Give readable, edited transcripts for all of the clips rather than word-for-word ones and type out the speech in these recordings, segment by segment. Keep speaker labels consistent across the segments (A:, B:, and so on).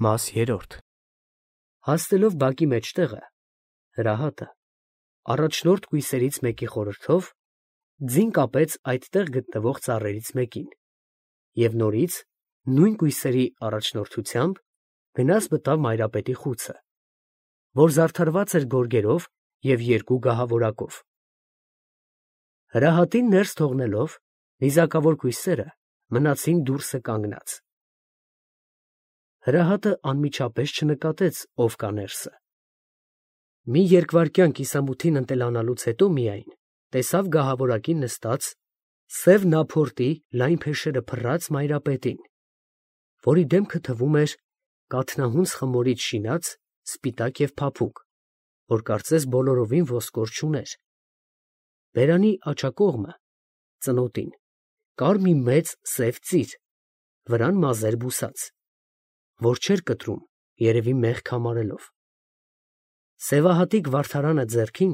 A: Մաս 3 Հասնելով բակի մեջտեղը, հրահատը, առաջնորդ կույսերից մեկի խորհրդով, ձին կապեց այդտեղ գտնվող ծառերից մեկին և նորից, նույն կույսերի առաջնորդությամբ, գնաց մտավ մայրապետի խուցը, որ զարդարված էր գորգերով և երկու գահավորակով։ Հրահատին ներս թողնելով, նիզակավոր կույսերը մնացին դուրսը կանգնած։ Հրահատը անմիջապես չնկատեց, ով կա ներսը։ Մի երկվայրկյան կիսամութին ընտելանալուց հետո միայն տեսավ գահավորակին նստած սև նափորտի լայն փեշերը փռած մայրապետին, որի դեմքը թվում էր կաթնահունձ խմորից շինած, սպիտակ և փափուկ, որ կարծես բոլորովին ոսկոր չուներ։ Բերանի աջակողմը, ծնոտին, կար մի մեծ սև ծիր, վրան մազեր բուսած, որ չէր կտրում, երևի մեղք համարելով։ Սևահատիկ վարդարանը ձեռքին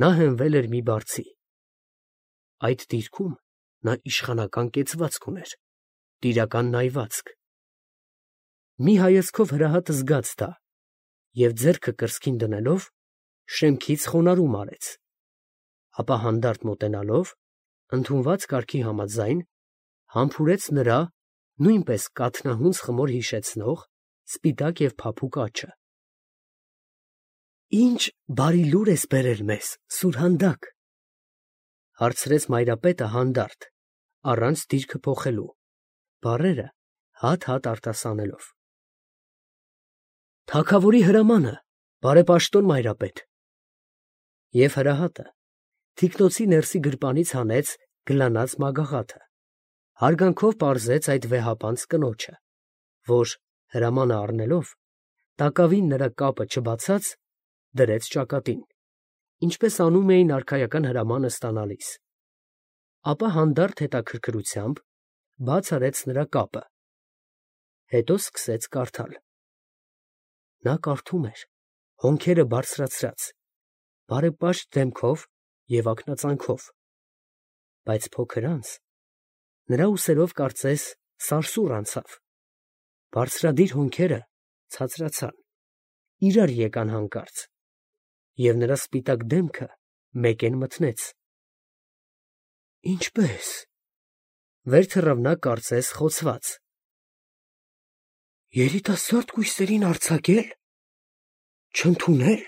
A: նա հենվել էր մի բարձի։ Այդ դիրքում նա իշխանական կեցվածք ուներ, տիրական նայվածք։ Մի հայացքով հրահատը զգաց դա և ձեռքը կրծքին դնելով, շեմքից խոնարհում արեց, ապա հանդարտ մոտենալով, ընդունված կարգի համաձայն, համբուրեց նրա նույնպես կաթնահունձ խմոր հիշեցնող, սպիտակ և փափուկ աջը։ «Ի՞նչ բարի լուր ես բերել մեզ, Սուրհանդակ», ֊ հարցրեց մայրապետը հանդարտ, առանց դիրքը փոխելու, բառերը հատ֊հատ արտասանելով։ «Թագավորի հրամանը, բարեպաշտոն մայրապետ»։ Եվ հրահատը թիկնոցի ներսի գրպանից հանեց գլանած մագաղաթը, հարգանքով պարզեց այդ վեհապանծ կնոջը, որ, հրամանը առնելով, տակավին նրա կապը չբացած, դրեց ճակատին, ինչպես անում էին արքայական հրամանը ստանալիս, ապա հանդարտ հետաքրքրությամբ բաց արեց նրա կապը, հետո սկսեց կարդալ։ Նա կարդում էր, հոնքերը բարձրացրած, բարեպաշտ դեմքով և ակնածանքով, բայց փոքր անց նրա ուսերով կարծես սարսուռ անցավ, բարձրադիր հոնքերը ցածրացան, իրար եկան հանկարծ, և նրա սպիտակ դեմքը մեկեն մթնեց։ «Ինչպե՞ս», վեր թռավ նա կարծես խոցված։ «Երիտասարդ կույսերին արձակե՞լ, չընդունել,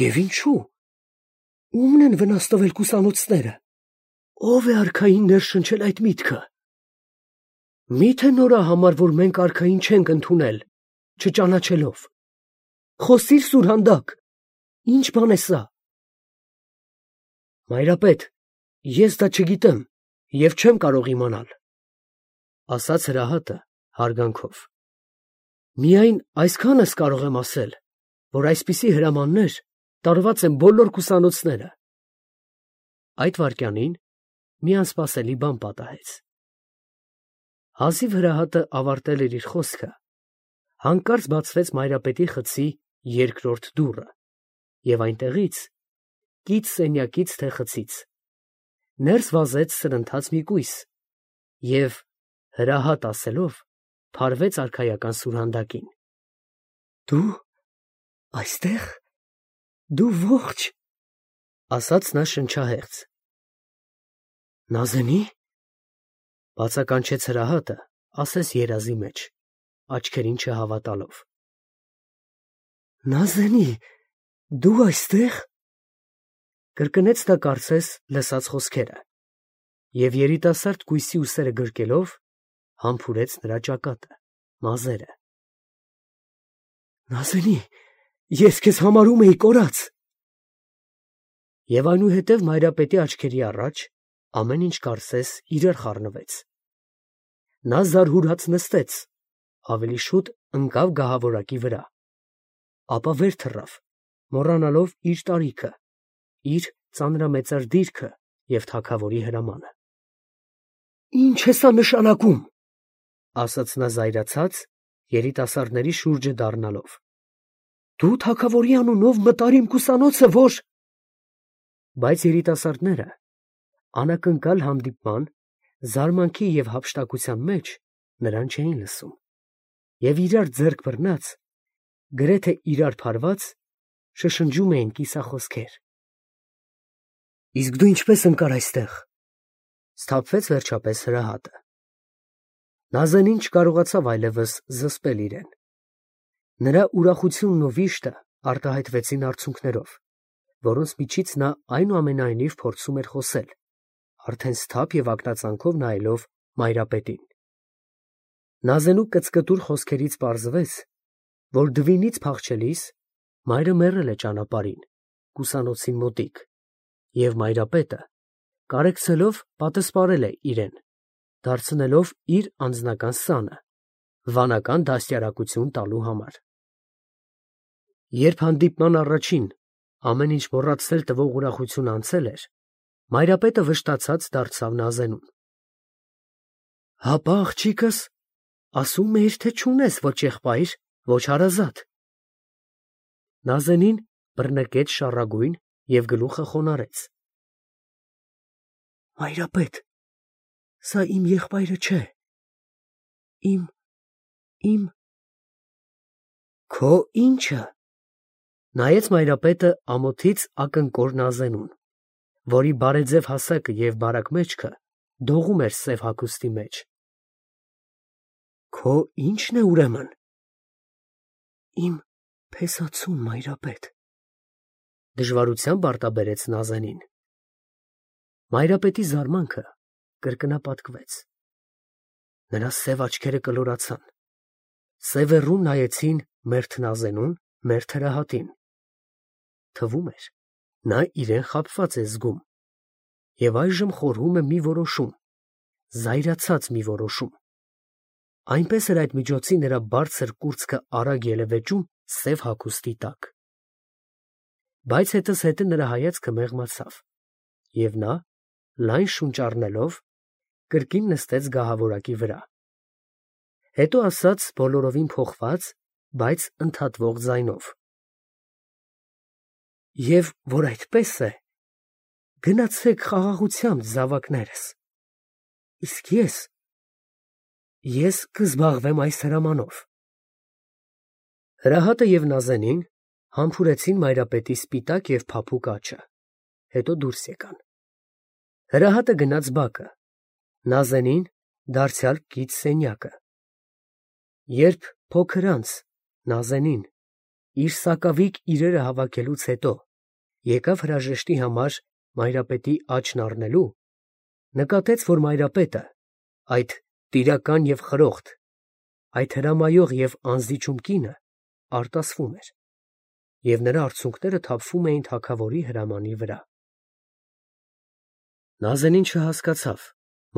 A: և ինչո՞ւ, ո՞ւմն են վնաս տվել կուսանոցները, ո՞վ է արքային ներշնչել այդ միտքը։ Մի՞թե նրա համար, որ մենք արքային չենք ընդունել, չճանաչելով։ Խոսի՛ր, Սուրհանդակ, ի՞նչ բան է սա»։ «Մայրապետ, ես դա չգիտեմ և չեմ կարող իմանալ», ֊ ասաց հրահատը հարգանքով։ «Միայն այսքանս կարող եմ ասել, որ այսպիսի հրամաններ տարված են բոլոր կուսանոցները»։ Այդ վայրկյանին մի անսպասելի բան պատահեց։ Հազիվ հրահատը ավարտել էր իր խոսքը, հանկարծ բացվեց մայրապետի խցի երկրորդ դուռը, և այնտեղից, կից սենյակից թե խցից, ներս վազեց սրընթաց մի կույս և, հրահատ ասելով, փարվեց արքայական Սուրհանդակին։ «Դու այստե՞ղ, դու ողջ», ֊ ասաց նա շնչահեղձ։ «Նազենի՞, ֊ բացականչեց հրահատը, ասես երազի մեջ, աչքերին չհավատալով։ «Նազենի, դու այստե՞ղ», ֊ կրկնեց նա կարծես լսած խոսքերը և երիտասարդ կույսի ուսերը գրկելով, համբուրեց նրա ճակատը, մազերը։ «Նազենի, ես քեզ համարում էի կորած»։ Եվ այնուհետև մայրապետի աչքերի առաջ ամեն ինչ կարծես իրար խառնվեց։ Նա զարհուրած նստեց, ավելի շուտ ընկավ գահավորակի վրա, ապա վեր թռավ, մոռանալով իր տարիքը, իր ծանրամեծար դիրքը և թագավորի հրամանը։ «Ի՞նչ է սա նշանակում», ֊ ասաց նա զայրացած, երիտասարդների շուրջը դառնալով։ «Դու թագավորի անունով մտար իմ կուսանոցը, որ…» Բայց երիտասարդները, անակնկալ հանդիպման, զարմանքի և հափշտակության մեջ, նրան չէին լսում։ և իրար ձեռք բռնած, գրեթե իրար փարված, շշնջում էին կիսախոսքեր։ Իսկ դու ինչպես ընկար այստեղ, սթափվեց վերջապես Հրահատը։ Նազենին չկարողացավ այլևս զսպել իրեն։ Նրա ուրախությունն ու վիշտը արտահայտվեցին արցունքներով, որոնց միջից նա այնուամենայնիվ փորձում էր խոսել, արդեն սթափ և ակնածանքով նայելով Մայրապետին։ Նազենու կծկտուր խոսքերից պարզվեց, որ դվինից փախչելիս մայրը մեռել է ճանապարհին, կուսանոցին մոտիկ, և Մայրապետը կարեկցելով պատսպարել է իրեն, դարձնելով իր անձնական սանը, վանական դաստիարակություն տալու համար։ Երբ հանդիպման առաջին ամեն ինչ մոռացնել տվող ուրախությունը անցել էր, Մայրապետը վշտացած դարձավ Նազենուն։ Հապա աղջիկս ասում էիր, թե չունես ոչ եղբայր, ոչ հարազատ։ Նազենին բռնկեց շառագույն և գլուխը խոնարհեց։ Մայրապետ, սա իմ եղբայրը չէ, իմ… Քո ի՞նչը։ Նայեց Մայրապետը ամոթից ակնկոր Նազենուն, որի բարեձև հասակը և բարակ մեջքը դողում էր սև հագուստի մեջ։ Քո ի՞նչն է ուրեմն։ Իմ փեսացուն, Մայրապետ, դժվարությամբ արտաբերեց Նազենին։ Մայրապետի զարմանքը կրկնապատկվեց։ Նրա սև աչքերը կլորացան, սևեռուն նայեցին մերթ Նազենուն, մերթ Հրահատին։ Թվում էր, նա իրեն խաբված է զգում և այժմ խորհում է մի որոշում, զայրացած մի որոշում։ Այնպես էր այդ միջոցի նրա բարձր կուրծքը արագ ելևէջում սև հագուստի տակ։ Բայց հետզհետե նրա հայացքը մեղմացավ, և նա, լայն շունչ առնելով, կրկին նստեց գահավորակի վրա։ Հետո ասաց բոլորովին փոխված, բայց ընդհատվող ձայնով. Եվ որ այդպես է, գնացեք խաղաղությամբ, զավակներս, իսկ ես կզբաղվեմ այս հրամանով։ Հրահատը և Նազենին համբուրեցին Մայրապետի սպիտակ և փափուկ աջը, հետո դուրս եկան։ Հրահատը գնաց բակը, Նազենին դարձյալ կից սենյակը։ Երբ փոքր անց Նազենին իր սակավիկ իրերը հավաքելուց հետո եկավ հրաժեշտի համար Մայրապետի աջն առնելու, նկատեց, որ Մայրապետը, այդ տիրական և խրոխտ, այդ հրամայող և անզիջում կինը արտասվում էր, և նրա արցունքները թափվում էին թագավորի հրամանի վրա։ Նազենին չհասկացավ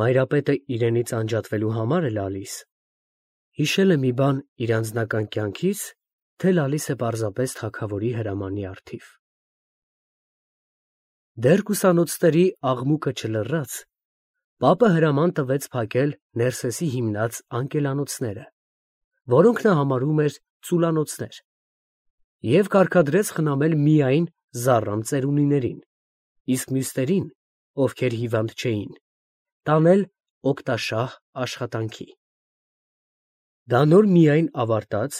A: Մայրապետը իրենից անջատվելու համար է լալիս, հիշել է մի բան իր անձնական կյանքից, թե լալիս է պարզապես թագավորի հրամանի առթիվ։ Դեռ կուսանոցների աղմուկը չլռած, պապը հրաման տվեց փակել Ներսեսի հիմնած անկելանոցները, որոնք նա համարում էր ծուլանոցներ, և կարգադրեց խնամել միայն զառամ ծերունիներին, իսկ մյուսներին, ովքեր հիվանդ չէին, տանել օգտաշահ աշխատանքի։ Դա նոր միայն ավարտած,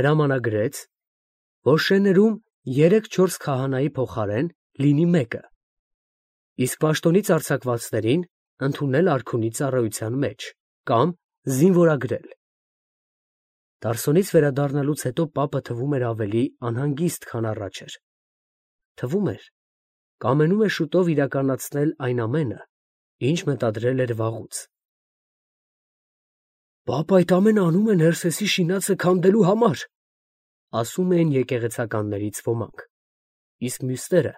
A: հրամանագրեց, որ շեներում 3-4 քահանայի փոխարեն լինի մեկը, իսկ պաշտոնից արձակվածներին ընդունել արքունի ծառայության մեջ կամ զինվորագրել։ Տարսոնից վերադառնալուց հետո պապը թվում էր ավելի անհանգիստ, քան առաջ էր։ Թվում էր, կամենում է շուտով իրականացնել այն ամենը, ինչ մտադրել էր վաղուց։ Պապը այդ ամենը անում է Ներսեսի շինածը քանդելու համար, ասում էին եկեղեցականներից ոմանք, իսկ մյուսները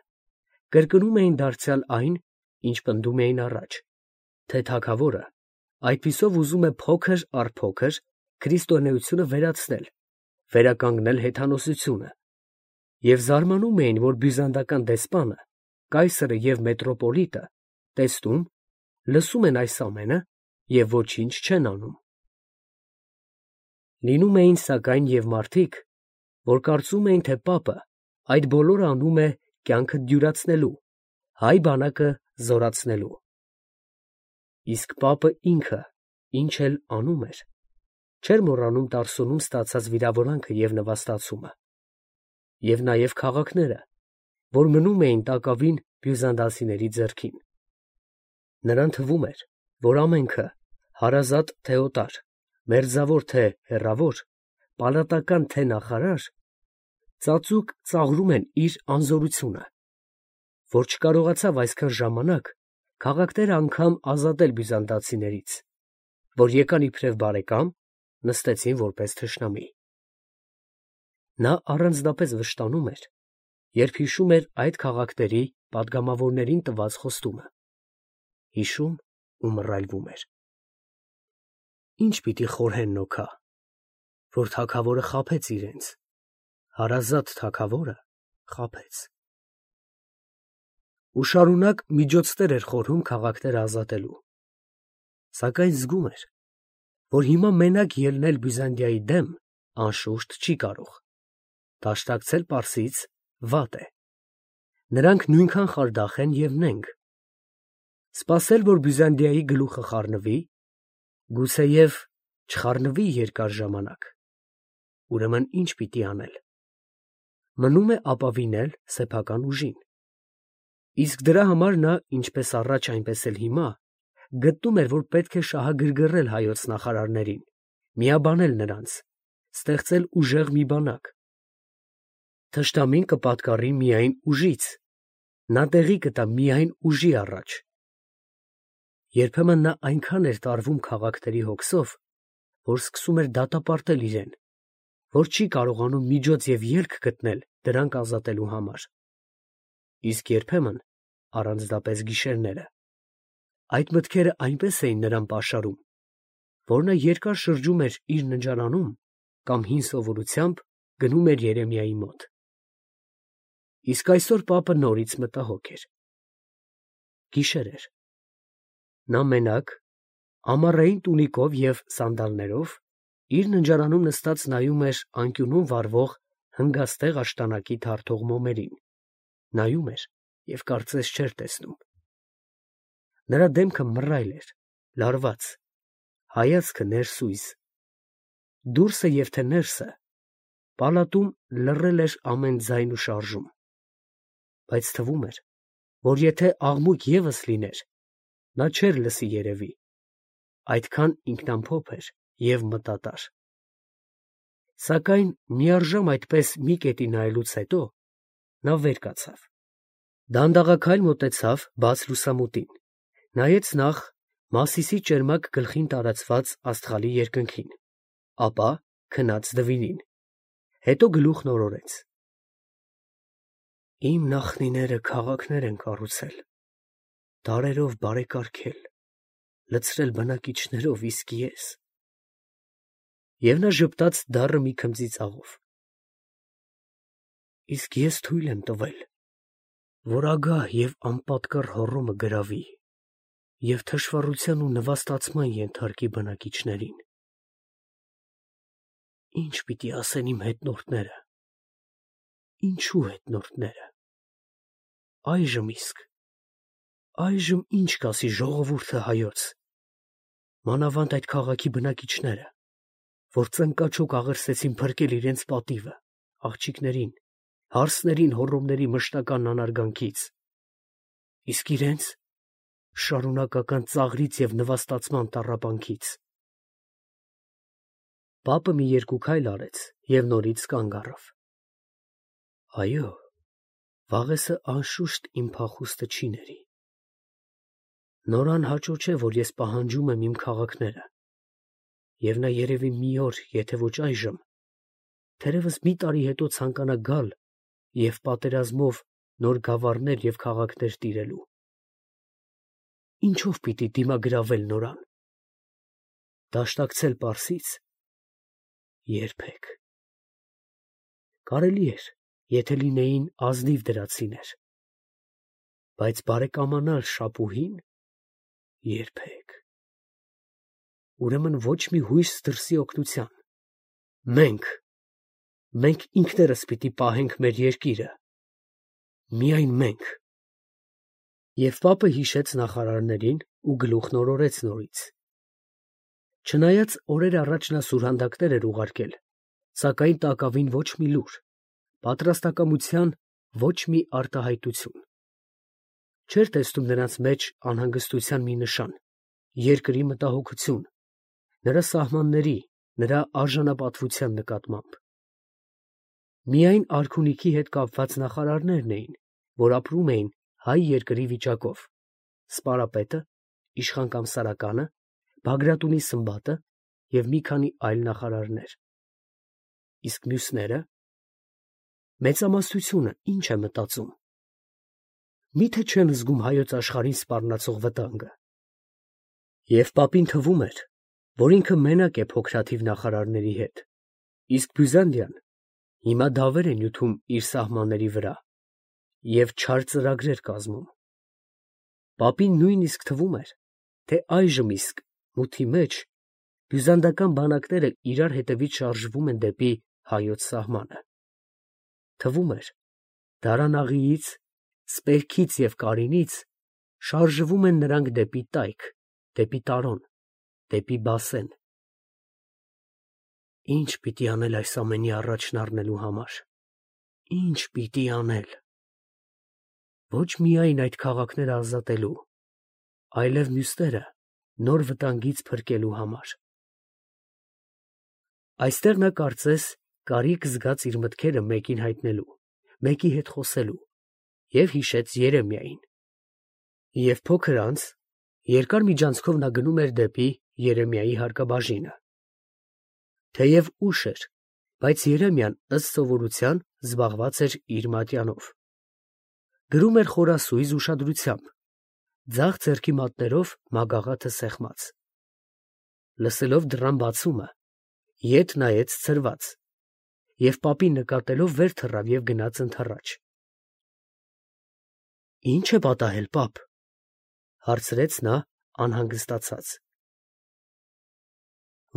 A: կրկնում էին դարձյալ այն, ինչ պնդում էին առաջ, թե թագավորը այդպիսով ուզում է փոքր առ փոքր քրիստոնեությունը վերացնել, վերականգնել հեթանոսությունը, և զարմանում էին, որ բյուզանդական դեսպանը, կայսրը և մետրոպոլիտը տեսնում, լսում են այս ամենը և ոչինչ չեն անում։ Լինում էին, սակայն, և մարդիկ, որ կարծում էին, թե պապը այդ բոլորը անում է կյանքը դյուրացնելու, հայ բանակը զորացնելու։ Իսկ պապը ինքը ինչ էլ անում էր, Չէր մոռանում Տարսունում ստացած վիրավորանքը և նվաստացումը, և նաև քաղաքները, որ մնում էին տակավին բյուզանդացիների ձեռքին. նրան թվում էր, որ ամենքը, հարազատ թե օտար, մերձավոր թե հեռավոր, պալատական թե նախարար, ծածուկ ծաղրում են իր անզորությունը, որ չկարողացավ այսքան ժամանակ քաղաքները անգամ ազատել բյուզանդացիներից, որ եկան իբրև բարեկամ, նստեցին որպես թշնամի. նա առանձնապես վշտանում էր, երբ հիշում էր այդ քաղաքների պատգամավորներին տված խոստումը, հիշում ու մռայլվում էր. ինչ պիտի խորհեն նոքա, որ թագավորը խաբեց իրենց, հարազատ թագավորը խաբեց. ու շարունակ միջոցներ էր խորհում քաղաքները ազատելու, սակայն զգում էր, որ հիմա մենակ ելնել Բյուզանդիայի դեմ անշուշտ չի կարող, դաշտակցել Պարսից վատ է, նրանք նույնքան խարդախ են և նենգ, սպասել, որ Բյուզանդիայի գլուխը խառնվի, գուցեև չխառնվի երկար ժամանակ, ուրեմն ինչ պիտի անել, մնում է ապավինել սեփական ուժին, իսկ դրա համար նա ինչպես առաջ այնպես էլ հիմա գտնում էր, որ պետք է շահագրգռել հայոց նախարարներին, միաբանել նրանց, ստեղծել ուժեղ մի բանակ. թշնամին կպատկառի միայն ուժից, նա տեղի կտա միայն ուժի առաջ. երբեմն նա այնքան էր տարվում քաղաքների հոգսով, որ սկսում էր դատապարտել իրեն, որ չի կարողանում միջոց և ելք գտնել դրանք ազատելու համար, իսկ երբեմն, առանձնապես գիշերները, այդ մտքերը այնպես էին նրան պաշարում, որ նա երկար շրջում էր իր ննջարանում կամ հին սովորությամբ գնում էր Երեմիայի մոտ. իսկ այսօր պապը նորից մտահոգ էր. գիշեր էր, նա մենակ, ամառային տունիկով և սանդալներով, իր ննջարանում նստած նայում էր անկյունում վառվող հնգաստեղ աշտանակի թարթող մոմերին, նայում էր և կարծես չէր տեսնում. նրա դեմքը մռայլ էր, լարված, հայացքը ներսույզ, դուրսը և թե ներսը, պալատում լռել էր ամեն ձայն ու շարժում, բայց թվում էր, որ եթե աղմուկ ևս լիներ, նա չէր լսի երևի, այդքան ինքնամփոփ էր և մտատար, սակայն միառժամ այդպես մի կետի նայելուց հետո, նա վեր կացավ, դանդաղաքայլ մոտեցավ բաց լուսամուտին, նայեց նախ Մասիսի ճերմակ գլխին տարածված աստղալի երկնքին, ապա քնած դվինին, հետո գլուխն օրորեց. իմ նախնիները քաղաքներ են կառուցել, դարերով բարեկարգել, լցրել բնակիչներով, իսկ ես… և նա ժպտաց դառը մի քմծի ծաղով. իսկ ես թույլ եմ տվել, որ ագահ և անպատկառ հոռոմը գրավի և թշվառության ու նվաստացման ենթարկի բնակիչներին… Ի՞նչ պիտի ասեն իմ հետնորդները, ինչու հետնորդները… այժմ իսկ, այժմ ի՞նչ կասի ժողովուրդը հայոց, մանավանդ այդ քաղաքի բնակիչները, որ ծնկաչոք աղերսեցին փրկել իրենց պատիվը, աղջիկներին, հարսներին հոռոմների մշտական անարգանքից, իսկ իրենց շարունակական ծաղրից և նվաստացման տառապանքից… Պապը մի երկու քայլ արեց և նորից կանգ առավ. այո, վաղեսը անշուշտ իմ փախուստը չի ների… նոր անհաճո չէ, որ ես պահանջում եմ իմ քաղաքները, և նա երևի մի օր, եթե ոչ այժմ, թերևս մի տարի հետո ցանկանա գալ և պատերազմով նոր գավառներ և քաղաքներ տիրելու… Ինչո՞վ պիտի դիմագրավել նորան… դաշտակցել Պարսից… երբեք… կարելի էր, եթե լինեին ազնիվ դրացիներ… բայց բարեկամանալ Շապուհին… երբեք… ուրեմն ոչ մի հույս դրսի օգնության… մենք ինքներս պիտի պահենք մեր երկիրը… միայն մենք… Եվ պապը հիշեց նախարարներին ու գլուխն օրորեց նորից… Չնայած օրեր առաջ նա սուրհանդակներ էր ուղարկել, սակայն տակավին ոչ մի լուր, պատրաստակամության ոչ մի արտահայտություն։ Չէր տեսնում նրանց մեջ անհանգստության մի նշան, երկրի մտահոգություն, նրա սահմանների, նրա արժանապատվության նկատմամբ։ Միայն արքունիքի հետ կապված նախարարներն էին, որ ապրում էին հայ երկրի վիճակով, սպարապետը, իշխան կամ սարականը, Բագրատունի Սմբատը և մի քանի այլ նախարարներ։ Իսկ մյուսները… Մեծամասնությունը ինչ է մտածում։ Միթե չեն զգում հայոց աշխարհին սպառնացող վտանգը։ Եվ պապին թվում էր, որ ինքը մենակ է փոքրաթիվ նախարարների հետ, իսկ Բյուզանդիան հիմա դավեր է նյութում իր սահմանների վրա և չար ծրագրեր կազմում։ Պապին նույնիսկ թվում էր, թե այժմ իսկ մութի մեջ բյուզանդական բանակները իրար հետևից շարժվում են դեպի հայոց սահմանը։ Թվում էր, Դարանաղիից, Սպերքից և Կարինից շարժվում են նրանք դեպի Տայք, դեպի Տարոն, դեպի Բասեն։ Ի՞նչ պիտի անել այս ամենի առաջն առնելու համար, ի՞նչ պիտի անել։ Ոչ միայն այդ քաղաքները ազատելու, այլև մյուսները նոր վտանգից փրկելու համար։ Այստեղ նա կարծես կարիք զգաց իր մտքերը մեկին հայտնելու, մեկի հետ խոսելու և հիշեց Երեմիային։ Եվ փոքր անց երկար միջանցքով նա գնում էր դեպի Երեմիայի հարկաբաժինը։ Թեև ուշ էր, բայց Երեմիան ըստ սովորության զբաղված էր իր մատյանով։ Գրում էր խորասույզ ուշադրությամբ, ձախ ձեռքի մատներով մագաղաթը սեղմած։ Լսելով դռան բացումը, ետ նայեց ցրված և պապին նկատելով վեր թռավ և գնաց ընդառաջ։ «Ի՞նչ է պատահել, պապ» հարցրեց նա անհանգստացած։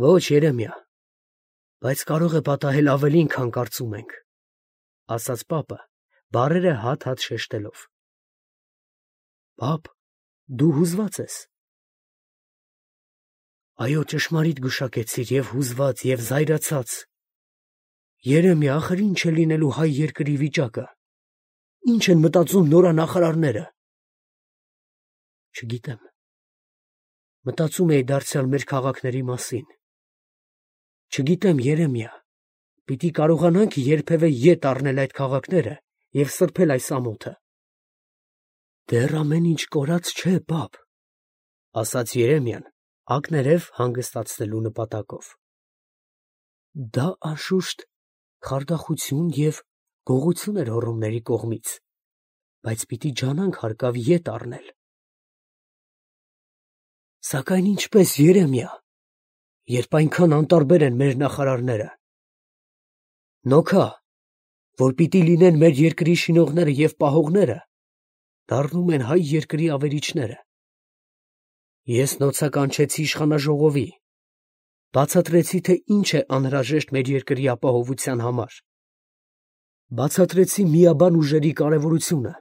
A: «Ոչ, Երեմիա, բայց կարող է պատահել ավելին, քան կարծում ենք», ֊ ասաց պապը, բառերը հատ-հատ շեշտելով։ «Պապ, դու հուզված ես»։ «Այո, ճշմարիտ գուշակեցիր, և հուզված, և զայրացած։ Երեմիա, ախր ի՞նչ է լինելու հայ երկրի վիճակը, ի՞նչ են մտածում նորանախարարները»։ Չգիտեմ, մտածում էի դարձյալ մեր քաղաքների մասին։ Չգիտեմ, Երեմիա, պիտի կարողանա՞նք երբևէ ետ առնել այդ քաղաքները և սրբել այս ամոթը։ Դեռ ամեն ինչ կորած չէ, պապ, ֊ ասաց Երեմիան ակներև հանգստացնելու նպատակով։ Դա անշուշտ խարդախություն և գողություն էր հոռոմների կողմից, բայց պիտի ջանանք հարկավ ետ առնել։ Սակայն ինչպես, Երեմիա, երբ այնքան անտարբեր են մեր նախարարները։ Նոքա, որ պիտի լինեն մեր երկրի շինողները և պահողները, դառնում են հայ երկրի ավերիչները։ Ես նոցա կանչեցի իշխանաժողովի, բացատրեցի, թե ինչ է անհրաժեշտ մեր երկրի ապահովության համար։ Բացատրեցի միաբան ուժերի կարևորությունը,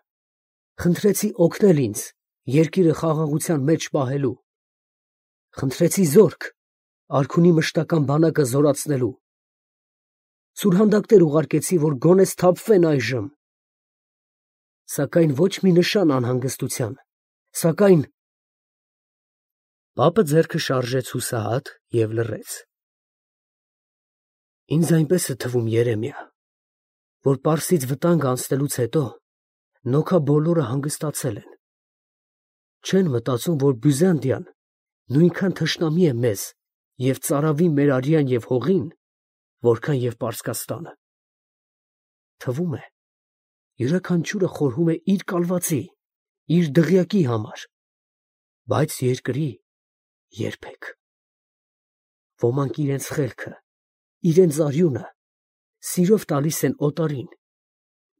A: խնդրեցի օգնել ինձ երկիրը խաղաղության մեջ պահելու։ Խնդրեցի զորք արքունի մշտական բանակը զորացնելու։ Սուրհանդակներ ուղարկեցի, որ գոնե սթափվեն այժմ։ Սակայն ոչ մի նշան անհանգստության, սակայն… Պապը ձեռքը շարժեց հուսահատ և լռեց։ Ինձ այնպես է թվում, Երեմիա, որ Պարսից վտանգը անցնելուց հետո նոքա բոլորը հանգստացել են։ Չեն մտածում, որ Բյուզանդիան նույնքան թշնամի է մեզ և ծարավի մեր արյան և հողին, որքան և Պարսկաստանը։ Թվում է, յուրաքանչյուրը խորհում է իր կալվածի, իր դղյակի համար, բայց երկրի երբեք։ Ոմանք իրենց խելքը, իրենց արյունը սիրով տալիս են օտարին,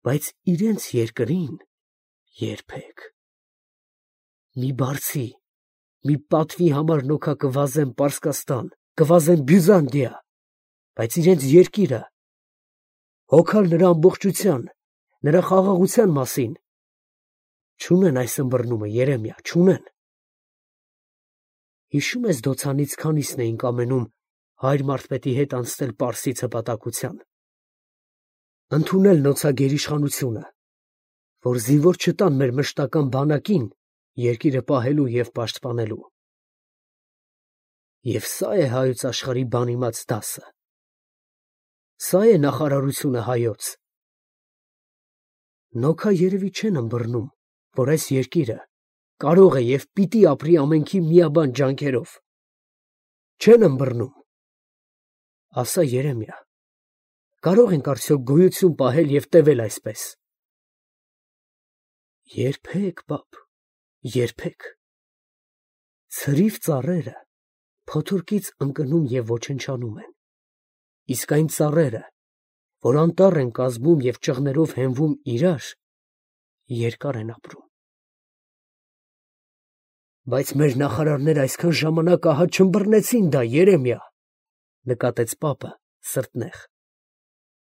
A: բայց իրենց երկրին երբեք։ Մի բարձի, մի պատվի համար նոքա կվազեն Պարսկաստան, կվազեն Բյուզանդիա, բայց իրենց երկիրը, հոգալ նրա ամբողջության, նրա խաղաղության մասին, չունեն այս ըմբռնումը, Երեմիա, չունեն։ Հիշում ես դոցանից քանիսն էինք ամենում հայր Մարթպետի հետ անցնել Պարսից հպատակության, ընդունել նոցագերիշխանությունը, որ զինվոր չտան մեր մշտական բանակին երկիրը պահելու և պաշտպանելու։ Եվ սա է հայոց աշխարհի բանիմաց դասը, սա է նախարարությունը հայոց։ Նոքա երևի չեն ըմբռնում, որ այս երկիրը կարող է և պիտի ապրի ամենքի միաբան ջանքերով։ Չեն ըմբռնում։ Ասա, Երեմիա, կարող ենք արդյոք գոյություն պահել և տևել այսպես։ Երբեք, բաբ, երբեք։ Ցրիվ ծառերը փոթորկից ընկնում և ոչնչանում են, իսկ այն ծառերը, որ անտառ են կազմում և ճղներով հենվում իրար, երկար են ապրում։ Բայց մեր նախարարները այսքան ժամանակ ահա չըմբռնեցին դա, Երեմիա, նկատեց պապը սրտնեղ։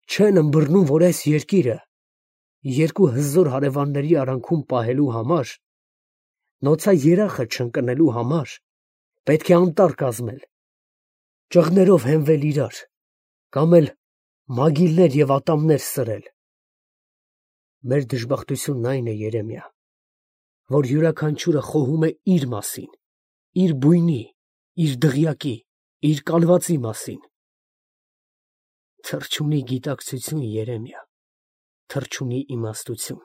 A: Չեն ըմբռնում, որ այս երկիրը երկու հզոր հարևանների արանքում պահելու համար, նոցաերախը չընկնելու համար պետք է անտառ կազմել, ճղներով հենվել իրար, կամ էլ մագիլներ և ատամներ սրել։ Մեր դժբախտությունն այն է, Երեմիա, որ յուրաքանչյուրը խոհում է իր մասին, իր բույնի, իր դղյակի, իր կալվածի մասին։ Թռչունի գիտակցություն, Երեմիա, թռչունի իմաստություն։